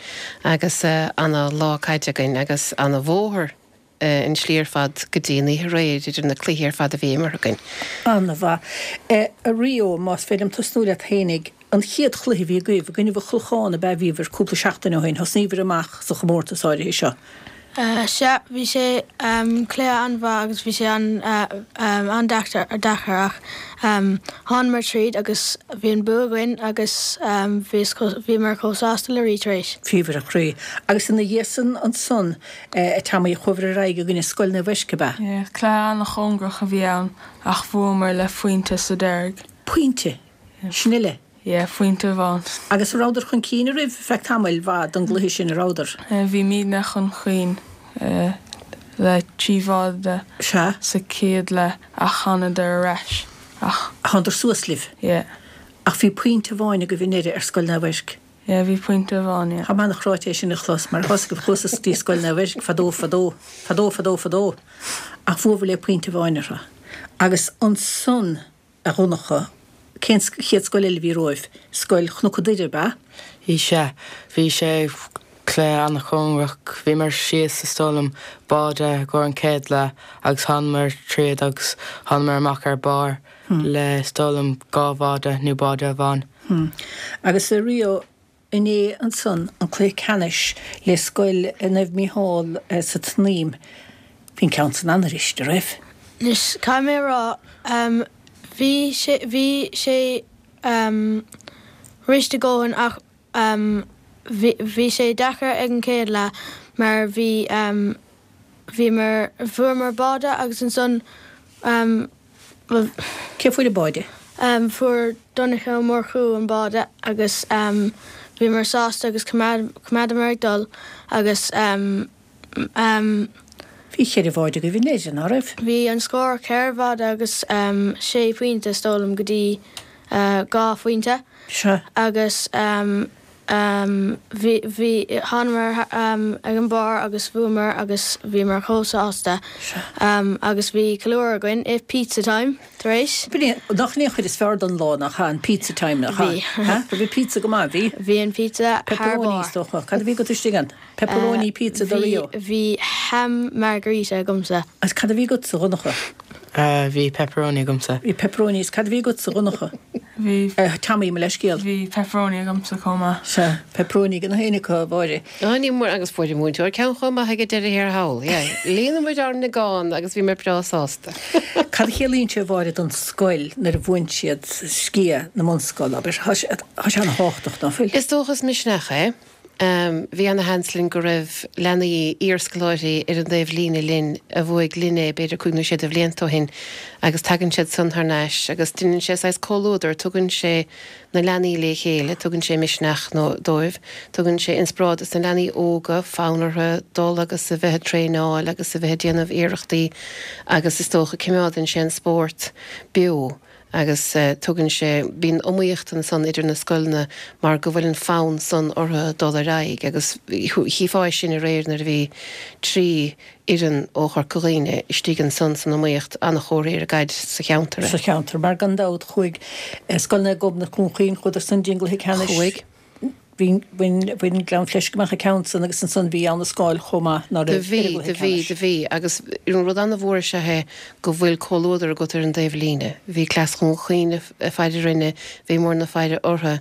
agus ana-lá caide againn agus ana-bhóthar an tslí ar fad go dtí an oíche aréir idir na cluichí ar fad a bhí imeartha againn. An-mhaith. A Rio, más féidir liom tosnú leat fhéinig, an chéad chluiche a bhí agaibh, i gcoinnibh an Chlocháin ab ea a bhíobhair cúpla seachtain ó shin, thosnaíobhair amach sa chomórtas áirithe seo. Sea, bhí sé cluiche an-mhaith agus bhí sé an-deacair ach thánamar tríd agus bhí an bua againn agus bhíomar chomh sásta le rí tar éis. Bhíobhair a chroí. Agus ina dhiaidh san ansan, A Tommy, chuabhair ar aghaidh i gcoinne Scoil Naomh Eisc, ab ea? Yeah, cluiche an-chóngarach a bhí ann ach bhuamar le phointe sa deireadh. Pointe? Sin uile? Yeah, phointe amháin. Agus a rabhadar chun cinn oraibh feadh tamaill mhaith don gcluiche sin, a rabhadar? Bhí mídne chun cinn le 3 bháide Sea. sa chéad leath ach thánadar ar ais ach. Thánadar suas libh? Yeah. Ach bhí pointe amháin agaibh i ndeireadh ar Scoil Naomh Eirc? Yeah, bhí pointe amháin, yeah. Tá mé an-chráite é sin a chlos mar thosaigh chuas go dtí Scoil Naomh Eirc fadó fadó, fadó fadó fadó ach bhuabhair le pointe amháin orthu. Agus ansan A Dhonncha, cén chéad scoil eile a bhí romhaibh? Scoil Chnoc an Doire, ab ea? Bhí, sea. Bhí sé cluiche an-chóngarach. Bhíomar síos is dóigh liom báide i gcomhair an chéad leath agus thánamar tríd agus thánamar amach ar barr le is dóigh liom dhá bháide nó báide amháin. Agus a Rio, Inné ansan, an cluiche ceannais le Scoil Naomh Mícheál sa tSnaidhm, bhí an ceann san an-fhuirist, a raibh? Anois, caithfidh mé a rá, bhí sé, bhí sé fuirist a dhóthain ach bhí, bhí sé deacair ag an chéad leath mar bhí, bhíomar, fuaireamar báide agus ansan, Cé fuair an báide? Fuair Donncha Ó Murchú an báide agus bhíomar sásta agus choimeádamar ag dul agus. Bhí cheithre bháide agaibh i ndeireadh, ná raibh? Bhí an scór ceithre bháide agus sé phointe is dóigh liom go dtí dhá phointe. Sea. Agus. Bhí, bhí, thánamar ag an barr agus bhuamar agus bhíomar chomh sásta. Agus bhí ceiliúradh againn i Pizza Time tar éis. B'in é, nach in é an chuid is fearr den lá, nach ea, an Pizza Time, nach ea? Bhí. Bhí pizza go maith, bhí? Bhí an pizza thar barr. Pepperoni, is dócha. Cad a bhí agat istigh ann? Pepperoni pizza do Rio. Bhí ham margherita agamsa. Agus cad a bhí agatsa, a Dhonncha? Bhí pepperoni agamsa. Bhí pepperoni is cad a bhí agatsa, a Dhonncha? Bhí. Tommy, mo leithscéal. Bhí pepperoni agamsa chomh maith. Sea, pepperoni ag gach éinne acu, a Mháire. Á, ní mór, agus fuair an múinteoir ceann chomh maith ag an deireadh thiar thall. Yeah. Líon muid ár n-aigéan agus bhí mé breá sásta. Cad a chiallaíonn sé, a Mháire, don scoil nuair a bhuann siad sciath na mbunscol, abair? Tá sé an-thábhachtach, ná fuil? Is dócha is misneach é. Bhí ana-sheans linn go raibh leanaí, iarscoláirí ar an dtaobh líne linn a bhuaigh linn é b'fhéidir cúig nó sé de bhlianta ó shin agus tagann siad san thar n-ais agus deineann sé saghas comhluadar, tugann sé na leanaí lé chéile, tugann sé misneach dóibh, tugann sé inspioráid dos na leanaí óga, fonn orthu dul agus a bheith ag traenáil agus a bheith ag déanamh iarrachtaí agus is dócha coimeádann sé an spórt beo. Agus tugann sé, bíonn iomaíocht ansan idir na scoileanna mar go bhfuil an fonn san orthu dul ar aghaidh agus chífeá é sin aréir nuair a bhí 3 fhoireann ó Chorca Dhuibhne istigh ansan san iomaíocht, an-chomhartha ar an gcaid sa cheantar é. Sa cheantar, mar gan dabht chuaigh Scoil Naomh Gobnait Dhún Chaoin, chuadar san dtí an gcluiche ceannais. Chuaigh. Bhí, bhain, bhain Gleann Fleisce amach an ceann san agus ansan bhí Abha na Scáil chomh maith ná Do raibh bhí, ar an gcluiche do bhí, ceannais. do bhí agus rud an-mhór is ea é go bhfuil comhluadar agat ar an dtaobh líne. Bhí cleas Dhún Chaoin ag faire orainne, bhíomarna ag faire orthu.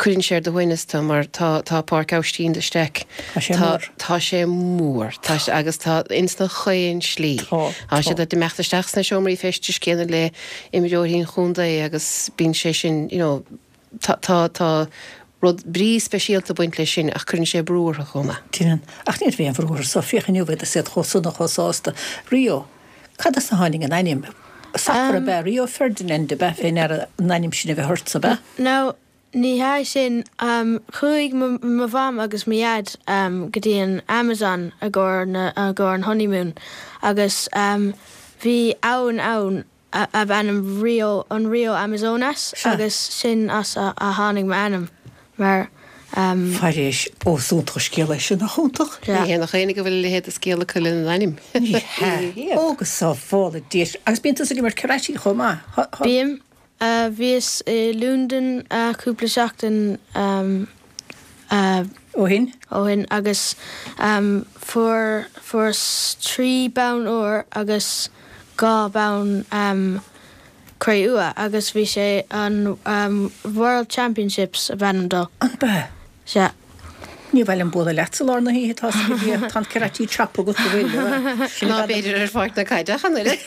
Cuireann sé ar do shuaimhneas tú mar tá, tá Páirc Aibhistín de Staic, Tá sé tá, mór. tá sé mór, tá sé, agus tá ins na chaon slí. Tá, Tá tá. siad ag imeacht isteach sna seomraí feistis céanna le imreoirí an chontae agus bíonn sé sin, you know, Tá, tá, tá rud, brí speisialta ag baint leis sin ach cuireann sé brú orthu chomh maith. Déanann. Ach ní raibh aon bhrú orthu so, féach inniu iad is iad chomh sona chomh sásta. Rio, cad as a tháinig an ainm? Sacar ab ea Rio Ferdinand ab ea fé ndeara an ainm sin a bheith ortsa, ab ea? No, ní hea sin. Chuaigh mo mham agus mo dhaid go dtí an Amazon i gcomhair na, i gcomhair an honeymoon agus bhí abhainn ann ab ainm Rio, an Rio Amazonas agus sin as a tháinig m'ainm mar. Far éis, ó is iontach an scéal é sin, nach iontach? Ní hé nach éinne go bhfuil a leithéid de scéal acu lena n-ainm. Ní hea. Ó go sábhála Dia. Agus bíonn tusa ag imirt karate chomh maith. Bím. Bhíos i Londain cúpla seachtain ó shin. ó shin agus fuair fuaireas 3 bonn óir agus 2 bonn cré-umha agus bhí sé an World Championships ab ainm dó. An b'ea? Sea. Ní mhaith liom bualadh leatsa lár na hoíche, tá tá an karate chop agat go bhfuil. Ná b'fhéidir ar pháirc na caide ach an oiread.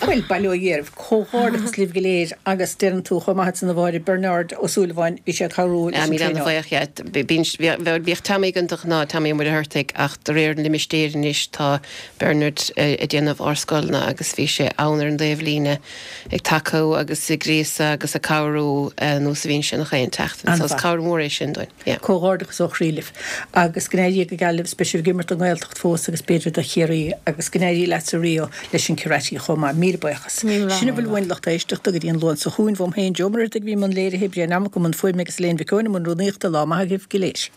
Bhuel, bail ó Dhia oraibh. Comhghairdeachas libh go léir agus deireann tú chomh maith ansan a Mháire, Bernard Ó Súilleabháin, bhí sé ag cabhrú leis an Míle traenáil. an-bhuíoch, yeah. Bíonn, bhíodh Tommy againn de ghnáth, Tommy Ó Muircheartaigh, ach de réir an limistéir anois tá Bernard ag déanamh ár scoileanna agus bhí sé ann ar an dtaobh líne ag tacú agus ag gríosadh agus ag cabhrú nós a bhíonn sé nach aon tseachtain. So is cabhair mhór é sin dúinn. Yeah. Comhghairdeachas ó chroí libh agus go n-éirí go geal libh is beidh sibh ag imirt don nGaeltacht fós agus b'fhéidir do Chiarraí agus go n-éirí leatsa Rio leis an karate chomh maith. Míle buíochas. Sin a bhfuil uainn lucht éisteachta go dtí an Luan seo chugainn. Uaim féin Joe Ó Muircheartaigh a bhí i mbun léirithe, Brian Mac i mbun fuaime agus Elaine Mhic Eoin i mbun rúnaíochta. Lá maith agaibh go léir.